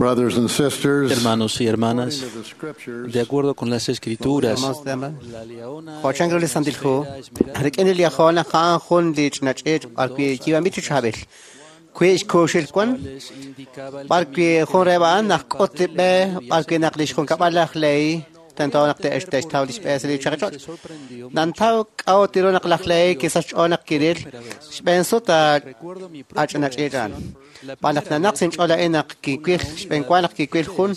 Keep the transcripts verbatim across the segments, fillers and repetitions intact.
Brothers and sisters, Hermanos y hermanas, according to the scriptures, de acuerdo con las escrituras, Jo chan ru li Santil Hu, rik'in li liajol ja'an jun li ch'inach'ich b'arwi' yiib'anb'il chi chaab'il. Kwi' xkuuxil wan, b'arwi' jun reb'a'an naq k'ut li b'e, b'arwi' naq li xjunkab'al laj ley, tento naq te'ex te'xtaw li xb'e sa' li chaqi ch'och'. Nantaw k'a'ut tiru naq laj ley kisach ch'ool naq kiril xb'een sut a ch'inach'ich a'an. B'an naq nanaq sinch'ool a'in naq kiwil xb'een wa naq kiwil jun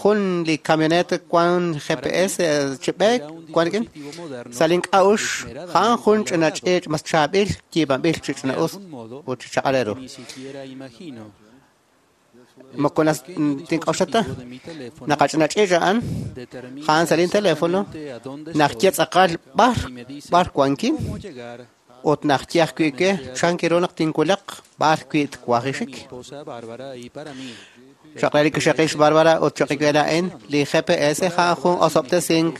jun li camioneta wan G P S chi b'e wan rik'in sa' link'a'ux ja'an jun ch'inach'ich mas chaab'il yiib'anb'il chi ch'ina'us ut chi chaq'al ru. Moko nas tink'oxlata naq ach'inach'ich a'an ja'an sa' linteléfono naq ye tz'aqal b'ar b'ar wankin ut naq ye ajwi' ke chan kiru naq tinwulaq b'ar wi' twajixik. Choq' re li kixaqix Bárbara ut choq' we la'in li G P S ja'an jun osob'tesink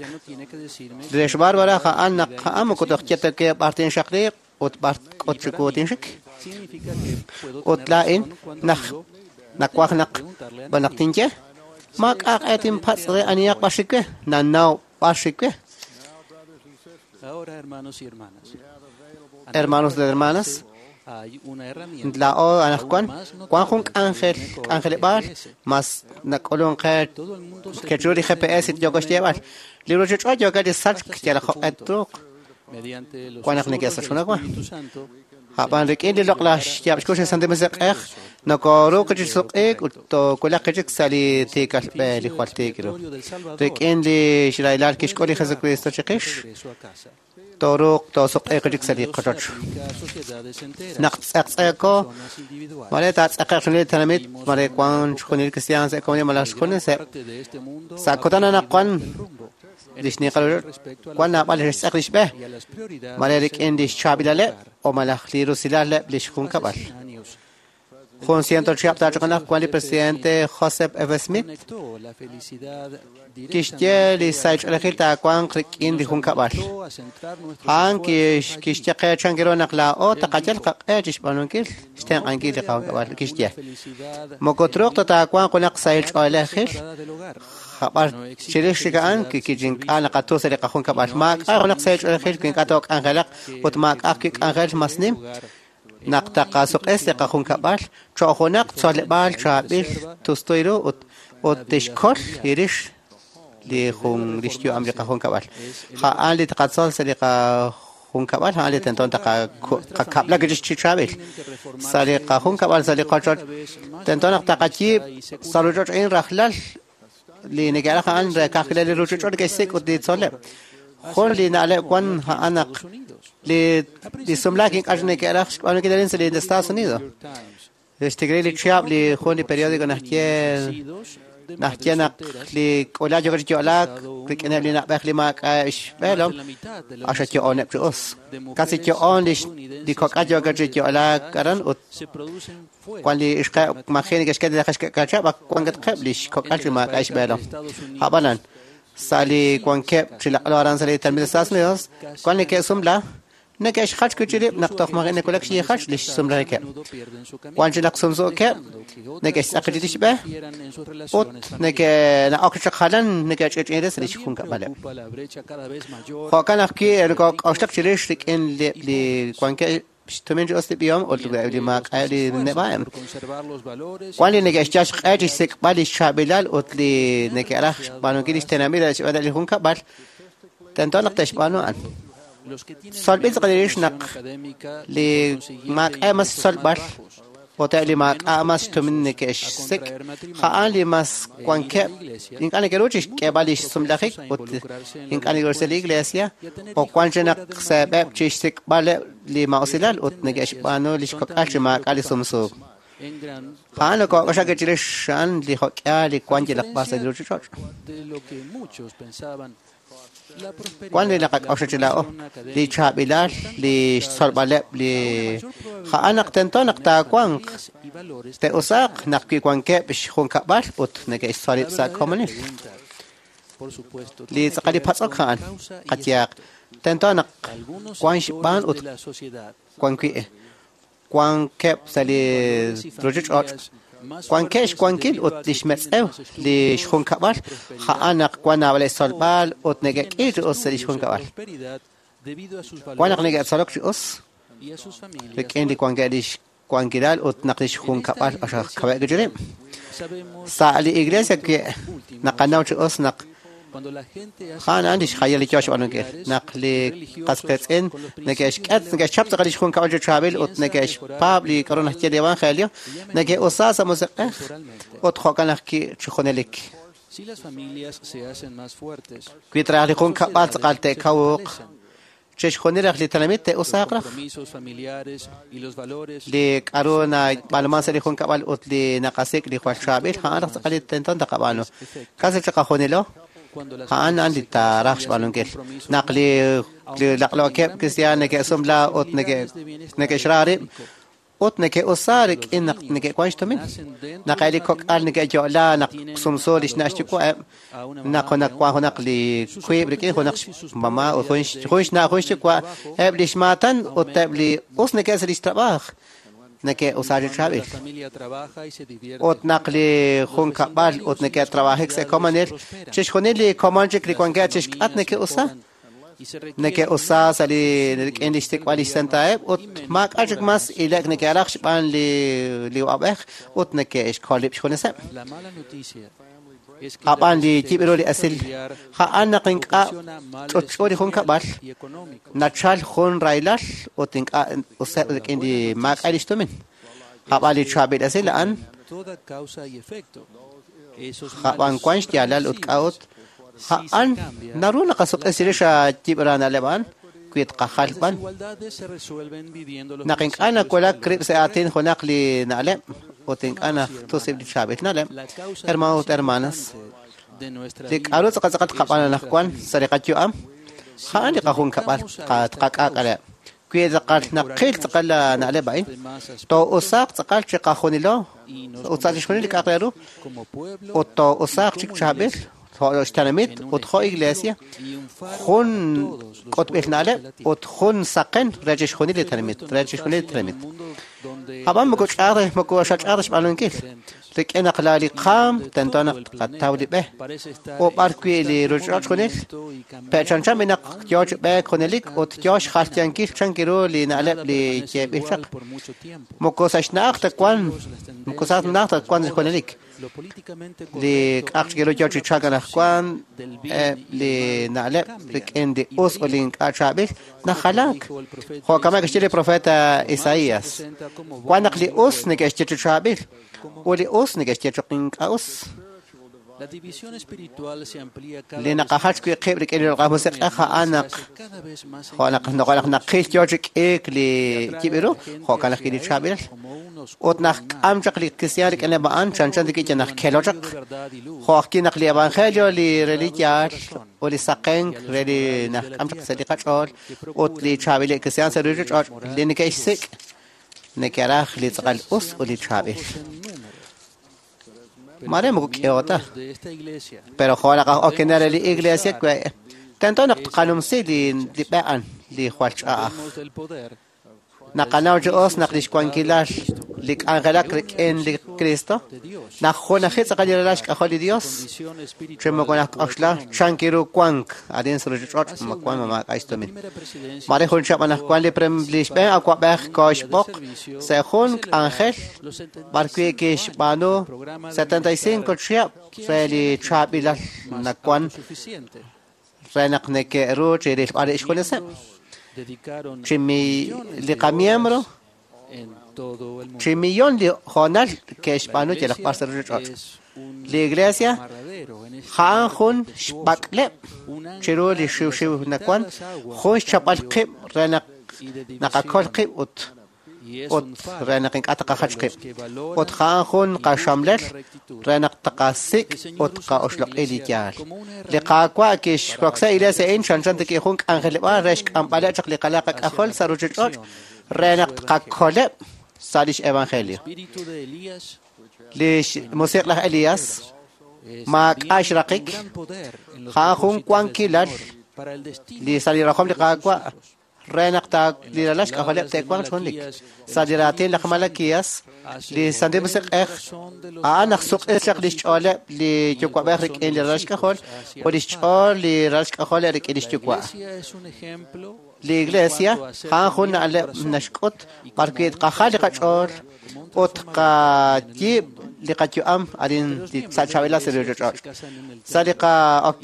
re xBárbara ja'an naq ja'an moko toj ye ta ke b'ar tinxaqliq ut b'ar k'ut chiku tinxik. Ut la'in naq nakwaj naq b'anaq tinye ma k'aq e tinpatz' re aniyaq b'ar xik we nanaw b'ar xik we. Hermanos de hermanas, la'o anajwan wan jun k'anjel k'anjeleb'aal mas nak'ulun qe kechu li G P S yoko xyeeb'al li ruchich'och' yoka li sachk yal joq'et truuq wan naq neke'sach junaq wa. Ja'b'an rik'in li loq'laj xyaab' xkux li Santil Musiq'ej nokoruuq chi suq'iik ut toowulaq chik sa' li tiikal b'e li jwal tiik ru. Rik'in li xraylal kixk'ul li Jesucristo chiqix toruuq toosuq'iiq chik sa' li qochoch. Naq tz'eqtz'eeko mare taatz'eqeq xjunil li tenamit mare wan xjunil cristian sa' komunidad malaj xjuneseb' sa' kutan anaqwan li xniqal wan naab'al li xtz'eq li xb'e mare rik'in li xchaab'ilaleb' o malaj li rusilaleb' li xjunkab'al. Jun ciento chihab' taachoqanaq wan li presidente Joseph F. Smith kixye li sahil taawanq rik'in li junkab'al. A'an kixye qe chan kiru naq laa'o taqayal qaq'e chi xb'aanunkil xtenq'ankil li qajunkab'al kixye. Moko truuq ta taawanq junaq sahil ch'oolejil jab'ar chirix chik a'an kichink'a naqatu sa' li qajunkab'al. Maak'a' junaq sahil ch'oolejil wi ink'a' took'anjelaq ut maak'a' wi k'anjel mas nim naq taqasuq'es li qajunkab'al cho'q junaq tzoleb'aal chaab'il tustuy ru ut ut tixkol irix li jun li xyu'am li qajunkab'al. Ja'an li taqatzol sa' li qajunkab'al ja'an li tento taqakab'lak chi chaab'il sa' li qajunkab'al sa' li qochoch tento naq taqayiib' sa' ruch'och' a'in rajlal li neke'raj a'an re kajkilal li ruchich'och' neke'xsik' ut li tzoleb'. Jun li na'leb' wan ja'an naq li li sumlaak ink'a' neke'raj xb'aanunkil arin sa' li Estados Unidos. Xtikri li chihab' li jun li periódico naxye naxye naq li k'ulaj yo'k chi yo'laak rik'ineb' li na'b'ej li maak'a' xb'eelom axa yo'oneb' chi us. Casi yo'on li li kok'al yo'k chi yo'laak aran ut wan li ixqeb' maji neke'xk'e li xk'achab' wan katqeb' li xkok'al chi maak'a' xb'eelom. Ab'anan sa' li wankeb' chi laq'lo aran sa' li tenamit Estados Unidos wan neke'sumla neke'xjach wi' chi rib' naq toj maji neke'wulak xyijach li xsumlajikeb'. Wan chi naq sumsuukeb' neke'xtz'aq chi xb'e ut neke'na'ok chaq jalan neke'ch'ich'in re sa' li xjunkab'aleb'. Jo'kan ajwi' nokok'oxlak chirix rik'in li li wankeb' xtumin chi us li b'ihom ut li maak'a' li neb'a'eb'. Wan li neke'xyal xq'e chi xsik'b'al li xchaab'ilal ut li neke'raj xb'aanunkil li xtenamit re xb'aan li junkab'al tento naq te'xb'aanu a'an. Tzolb'il tz'aqal naq li maak'a' mas tzolb'al ut li maak'a' mas xtumin neke'xsik' ja'an li mas wankeb' ink'a' neke'ru chi xk'eeb'al li xsumlajik ut ink'a' neke'ru sa' li iglesia o wan chi naq seeb'eb' chi xsik'b'aleb' li ma'usilal ut neke'xb'aanu li xkok'al chi maak'a' li sumsuuk. Ja'an nokok'oxlak chirix a'an li jo'k'ihal li wan yalaq b'ar sa' li ruchich'och'. Wan li naqak'oxla chi laa'o li chaab'ilal li xtzolb'aleb' li ja'an naq tento naq taawanq te'usaaq naq wi wankeb' xjunkab'al ut neke'xtzolib' sa' komonil. Li tz'aqal li patz'ok ja'an qayehaq tento naq wan xb'aan ut wan wi' wankeb' sa' li ruchich'och' Wankeb' xwankil ut li xmetz'ew li xjunkab'al a'an naq wan naab'al xtzolb'al ut neke'k'i chi us sa' li xjunkab'al. Wan naq neke'tzolok chi us rik'in li wankeb' li xwankilal ut naq li xjunkab'al q'axal kaweb' chi rib'. Sa' li iglesia naqanaw chi us naq a'an a'an li xjayal li yoo xb'aanunkil naq li qas qiitz'in neke'xk'et neke'xchap tz'aqal li xjunkab'al chi chaab'il ut neke'xpaab' li k'aru naxye li evangelio neke'usaa sa' musiq'ej ut jo'kan ajwi' chi junelik. Wi traj li junkab'al tz'aqal te'kawuq chixjunil raj li tenamit te'usaaq raj li k'aru nab'aanuman sa' li junkab'al ut li naqasik' li jwal chaab'il a'an raj tz'aqal li tento taqab'aanu casi chiqajunilo a'an a'an li taaraj xb'aanunkil naq li li laq'lookeb' kristiaan neke'sumla ut neke'xra rib' ut neke'usaa rik'in naq neke'wan xtumin naq eb' li kok'al neke'yo'la naq sumsu li xna' xyuwa'eb' naq junaq wan junaq li wiib' rik'in junaq xmama ut jun xna' jun xyuwa' eb' li xmaatan ut eb' li us neke'sa li xtrab'aaj neke'usaa chi chaab'il ut naq li junkab'al ut neke'trab'ajik sa' komonil chixjunil li komon chik li wankeb' chixk'at neke'usaa neke'usaa sa' li rik'in li xsik'b'al li xsentaeb' ut maak'a' chik mas ilek neke'raj xb'aan li li uq'ab'ej ut neke'xkol rib' xjuneseb'. Ab'an li yib' ru li esil a'an naq ink'a' ch'utch'u li junkab'al nachal jun rahilal ut ink'a' useb' rik'in li maak'a' li xtumin. Ab'an li chaab'il esil a'an ab'an wan xyaalal ut k'a'ut a'an naru naqasuq'esi rix yib' ra na'leb' a'an wi tqajal b'an naq ink'a' nawulak rib' sa' aatin junaq li na'leb' ut ink'a' najtusib' li chaab'il na'leb' hermanos ut hermanas li k'aru tz'aqal tz'aqal tqab'aan anaqwan sa' li qayu'am a'an li qajunkab'al tqak'aak'aleb' wi tz'aqal naqil tz'aqal la na'leb' a'in too'usaaq tz'aqal chiqajunilo ut sa' chixjunil li k'a'aq re ru ut too'usaaq chik chaab'il jo' xtenamit ut jo' iglesia jun k'utb'il na'leb' ut jun saqen re chixjunil li tenamit re chixjunil li tenamit. Ab'an moko ch'aaj moko xach'aaj xb'aanunkil rik'in naq la li qaam tento naq tqataw li b'e ut b'ar wi' li ruuchich'och' junil pe'chanchan naq yoo chi b'eek junelik ut yoo xjalyankil chan ru li na'leb' li yeeb'il chaq moko sa' xna'aj ta wan moko sa' xna'aj ta wan junelik li k'a'aq chik ru yoo chi chalk anaqwan li na'leb' rik'in li us ut li ink'a' chaab'il najalaak jo'kan kixye li profeta Isaías wan naq li us neke'xye chi chaab'il ut li us neke'xye choq ink'a' us. Li naqajach wi' qib' rik'in li Loq'laj Musiq'ej a'an naq jo' naq naq naqil yoo chi k'iik li yib' ru jo'kan ajwi' li chaab'ilal ut naq k'am chaq li kristiaan rik'ineb' a'an chanchan rik'in naq kelo chaq jo' ajwi' naq li evangelio li re li yaal ut li saqenk re li naq k'am chaq sa' li qach'ool ut li chaab'il kristiaan sa' ruuchich'och' li neke'xsik' neke'raj li tz'aqal us ut li chaab'il. Mare moko k'ehota pero jo' naq aj okenel re li iglesia tento naq tqanumsi li li b'e a'an li jwal ch'a'aj. Naqanaw chi us naq li xwankilal li k'anjelak rik'in li Cristo naq junaji tz'aqal li ralal xk'ajol li Dios chi moko najk'oxla chan kiru wank arin sa' ruuchich'och' ma wan ma maak'a' xtumin. Mare jun chihab' anaqwan li li xb'een awa'b'ej kooxb'oq sa' jun k'anjel b'ar wi' kixb'aanu setenta y cinco chihab' re li chaab'ilal nawan re naq neke'ru chi rilb'al xjuneseb' chi mi li qamiembro chi millón li hoonal ke'xb'aanu yalaq b'ar sa' ruuchich'och'. Li iglesia a'an jun xb'ak'leb' chiru li xiwxiw nawan jun xchapb'al qib' re naq naqakol qib' ut ut re naq ink'a' taqajach qib' ut a'an jun qaxamlel re naq taqasik' ut qa'oxloq'i li yaal. Li Qaawa' kixroksi iglesia a'in chanchan rik'in jun k'anjeleb'aal re xk'amb'aleb' chaq li qalaq qak'ajol sa' ruuchich'och' re naq tqakoleb' sa' lix evangelio. Li xmusiq' laj Elías maak'a' xraqik a'an jun wankilal li sa' li rajom li Qaawa' re naq li ralal xk'ajoleb' te'wanq chi junelik. Sa' li raatin laj Malaquías, li Santil Musiq'ej a'an naq suq'is chaq li xch'ooleb' li yuwa'b'ej rik'in li ralal xk'ajol ut li xch'ool li ralal xk'ajol rik'in li xyuwa'. Li Iglesia a'an jun na'leb' naxk'ut b'arwi' tqajal li qach'ool ut tqayiib' li qayu'am arin sa' chaab'ilal sa' li ruuchich'och'. Sa' li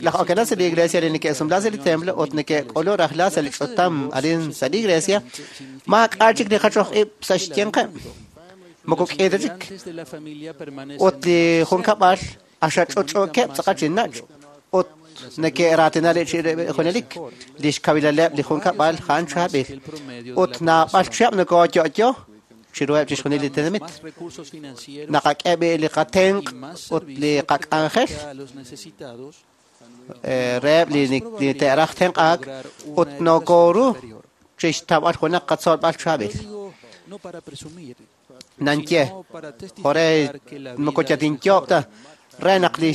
laj okenal sa' li Iglesia li neke'sumla sa' li templo ut neke'k'ulu rajlal sa' li ch'utam arin sa' li Iglesia, maak'a' chik li jachoj ib' sa' xyanqeb'. Moko k'i ta chik. Ut li junkab'al axach'uch'uukeb' tz'aqal chi nach' ut neke'raatina li junelik li xkawilaleb' li junkab'al a'an chaab'il. Ut naab'al chihab' nokooyo'yo chiruheb' chixjunil li tenamit. Naqak'e b'i li qatenq' ut li qak'anjel reheb' li te'raj tenq'aak ut nokooru chixtawb'al junaq qatzolb'al chaab'il. Nanye, jore moko yatinyob' ta re naq li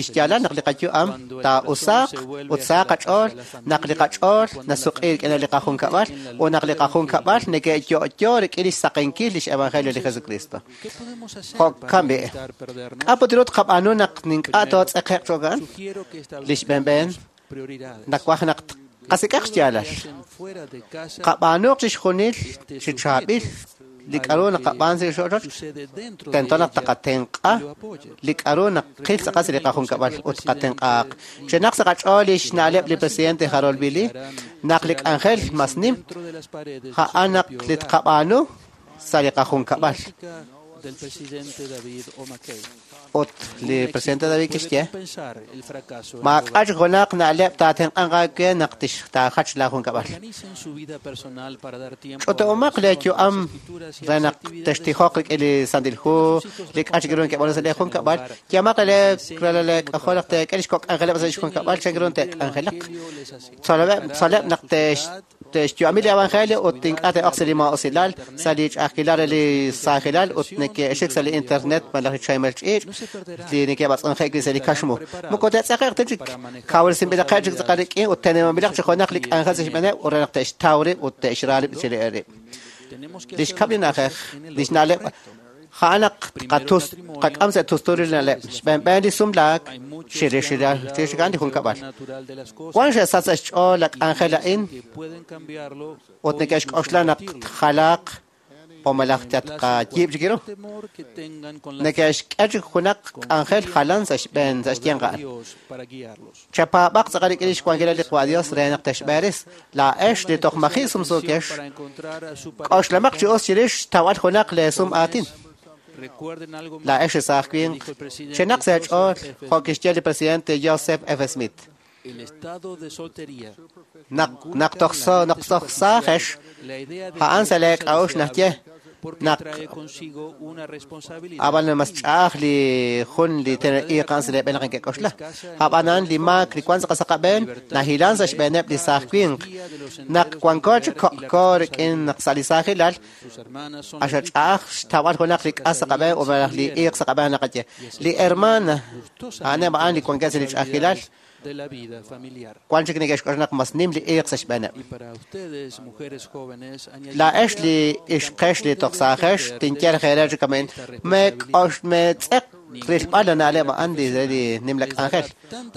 xyaalal naq li qayu'am taa'usaaq ut saaq qach'ool, naq li qach'ool nasuq'i rik'in li qajunkab'al ut naq li qajunkab'al neke'yo'yo rik'in li xsaqenkil lix evangelio li Jesucristo. Jo'kan b'i, k'a' put ru tqab'aanu naq ink'a' tootz'eqe'q cho'kan? Li xb'eenb'een nawaj naq qasik'aq xyaalal. Qab'aanuq chixjunil chi chaab'il li k'a'ru naqab'aan sa' li ochoch, tento naq taqatenq'a li k'a'ru naqil tz'aqal sa' li qajunkab'al ut qatenq'aaq. Chenaq sa' qach'ool li xna'leb' li presidente Harold B. Lee, naq li k'anjel mas nim, a'an naq li tqab'aanu sa' li qajunkab'al. Ut li presidente David kixye, maak'a' chik junaq na'leb' taatenq'anq aawe naq taajach laajunkab'al. Ch'utu'umaq leeyu'am re naq textijoq rik'in li Santil Hu, li k'a' chik ru neke'b'aanu sa' leejunkab'al, yeemaq re leek'ajol naq teek'e li xkok' k'anjeleb' sa' xjunkab'al chan ru te'k'anjelaq. Tzoleb' tzoleb' naq te'xyu'ami li evangelio ut ink'a' te'oq sa' li maa'usilal, sa' li ch'a'ajkilal re li saajilal ut neke'xik sa' li internet malaj li chaymel ch'iich' li neke'b'atz'unje'k wi' sa' li kaxmu. Moko te'tz'eqe'q ta chik, kawresinb'ilaqeb' chik tz'aqal rik'in ut tenemanb'ilaq chi junaq li k'anjel sa' xb'eeneb' ut re naq te'xtaw rib' ut te'xra rib' chi rib'. Li xkab' li na'ajej, li xna'leb' a'an naq qatus qak'am sa' tusturil li na'leb', xb'eenb'een li sumlaak chirix chirix li junkab'al. Wan xe'sach sa' xch'ool la k'anjel a'in ut neke'xk'oxla naq tjalaaq o malaj tatqayiib' chik ru. Neke'xk'e chik junaq k'anjel jalan sa' xb'een sa' xyanq a'an. Chapaab'aq tz'aqal rik'in li xwankilal li Qwa Dios re naq texb'eeris. Laa'ex li toj maji' sumsuukex, k'oxlamaq chi us chirix xtawb'al junaq leesum aatin. Laa'ex li saaj winq, chenaq sa' xch'ool jo' kixye li presidente Joseph F. Smith. Naq naq toj naq toj saajex, a'an sa' leek'a'uxl naxye naq ab'an mas ch'a'aj li jun li iiqan sa' leeb'een naq neke'k'oxla. Ab'anan li maak li wan sa' qasaqab'een nahilan sa' xb'eeneb' li saaj winq. Naq wanko chik ko'ko rik'in naq sa' li saajilal, axa ch'a'aj xtawb'al junaq li k'as sa' qab'een o malaj li iiq sa' qab'een naqaye. Li hermana a'aneb' a'an li wankeb' sa' li ch'a'ajkilal, wan chik neke'xk'oxla naq mas nim li iiq sa' xb'eeneb'. Laa'ex li ixqex li toj saajex tinye reere chik amen, meek'ox meetz'eq rilb'al la na'leb' a'an li li nim la k'anjel.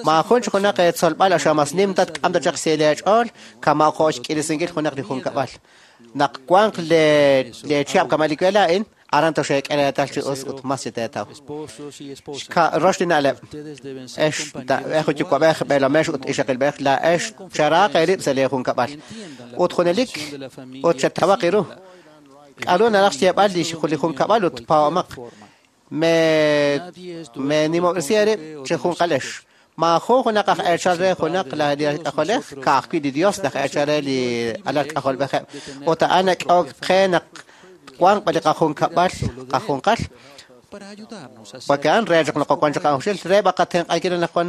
Maajun chik junaq eetzolb'al axa mas nim tatk'am ta chaq sa' leech'ool kama' jo' xk'irisinkil junaq li junkab'al. Naq wanq le leechihab' kama' li we laa'in, aran toxeek'e reetal chi us ut mas chi teetaw. Rox li na'leb', ex ej yuwa'b'ej b'eelomex ut ixaqilb'ej laa'ex charaaq eerib' sa' leejunkab'al. Ut junelik ut chetawaq iru. K'a'ru naraj xyeeb'al li li junkab'al ut paa'omaq. Me me nimob'resi eerib' chi junqalex. Maajun junaq aj eechal re junaq la li k'ajolej, ka'ajwi' li Dios laj eechal re li alal k'ajolb'ejeb'. Ut a'an nak'ok qe naq wanq b'a li qajunkab'al qajunqal. Porque a'an re chaq naq wan chaq qa'uxil, re b'a qatenq'ankil naq wan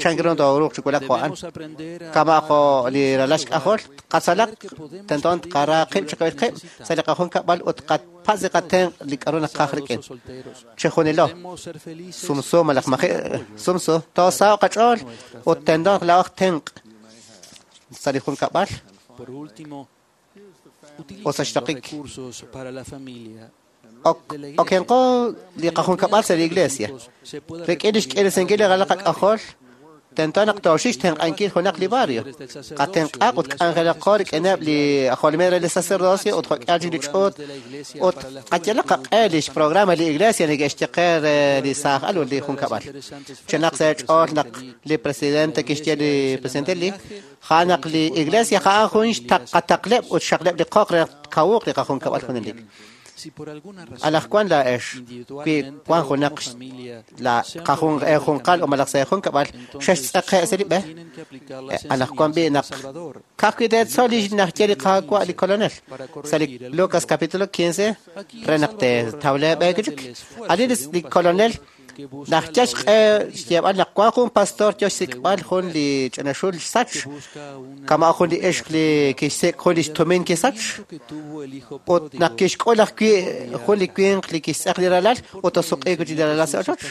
chan ru tooruuq chi wulak jo' a'an. Kama' jo' li ralal xk'ajol, qatzalaq tento tqara qib' chi qib' sa' li qajunkab'al ut qapatz' li qatenq' li k'a'ru naqaj rik'in. Chijunilo, sumsu malaj maji' sumsu, toosaw qach'ool ut tento laa'oj tenq' sa' li junkab'al. Ut sa' xraqik, okenqo li qajunkab'al sa' li iglesia. Rik'in lix k'irisinkil li ralal qak'ajol, tento naq tooxik xtenq'ankil junaq li barrio. Qatenq'aq ut k'anjelaqo rik'ineb' li jolomil re li sacerdocio ut jo'k'ihal chik li ch'uut ut qayalaq qaq'e lix programa li iglesia neke'xye qe re li saaj al ut li junkab'al. Chenaq sa' eech'ool naq li presidente kixye li presidente li ja'an naq li iglesia ja'an jun xtaqataqleb' ut xxaqleb' li qoq re kawuq li qajunkab'al junelik. Anaqwan laa'ex wi wan junaq la qajun junqal o malaj sa' junkab'al xextz'eqe' sa' li b'e anaqwan b'i naq ka'ajwi' teetzol li najye li Qaawa' li Kolonel sa' li Lucas capítulo quince re naq teetawle b'e chik ani li Kolonel najye xq'e xyeeb'al naq wan jun pastor yo xsik'b'al jun li ch'ina xul xsach kama' jun li ixq li kixsik' jun li xtumin kisach ut naq kixk'ul ajwi' jun li winq li kixtz'eq li ralal ut tosuq'iik li ralal sa' ochoch.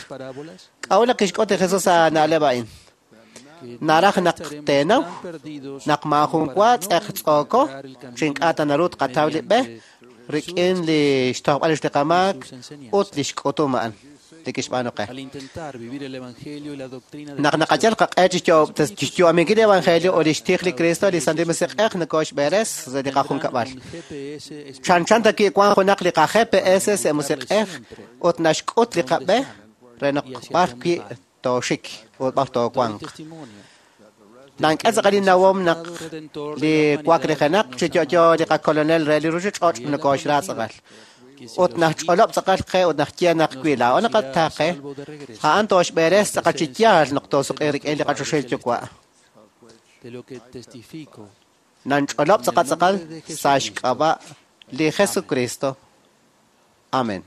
K'a'ut naq kixk'ut li Jesus sa' na'leb' a'in? Naraj naq teenaw naq maajun wa tz'eqtz'ooko chi ink'a' ta naru tqataw li b'e rik'in li xtojb'al li qamaak ut li xk'utum a'an li kixb'aanu qe. Naq naqayal qaq'e chixyu'aminkil li evangelio ut lix tij li Cristo li Santil Musiq'ej nokooxb'eres sa' li qajunkab'al. Chanchan ta wi' wan junaq li qa G P S sa' musiq'ej ut naxk'ut li qab'e re naq b'ar wi' tooxik ut b'ar toowanq. Nank'e tz'aqal li nawom naq li waklijenaq chi yo'yo li qakolonel re li ruchich'och' nokooxra tz'aqal. Ut najch'olob' tz'aqal qe ut najye naq wi' laa'o naqataaqe a'an tooxb'eres tz'aqal chi yaal naq toosuq'i rik'in li qachoxahil Yuwa'. Nanch'olob' tz'aqal tz'aqal sa' xk'ab'a' li Jesucristo. Amén.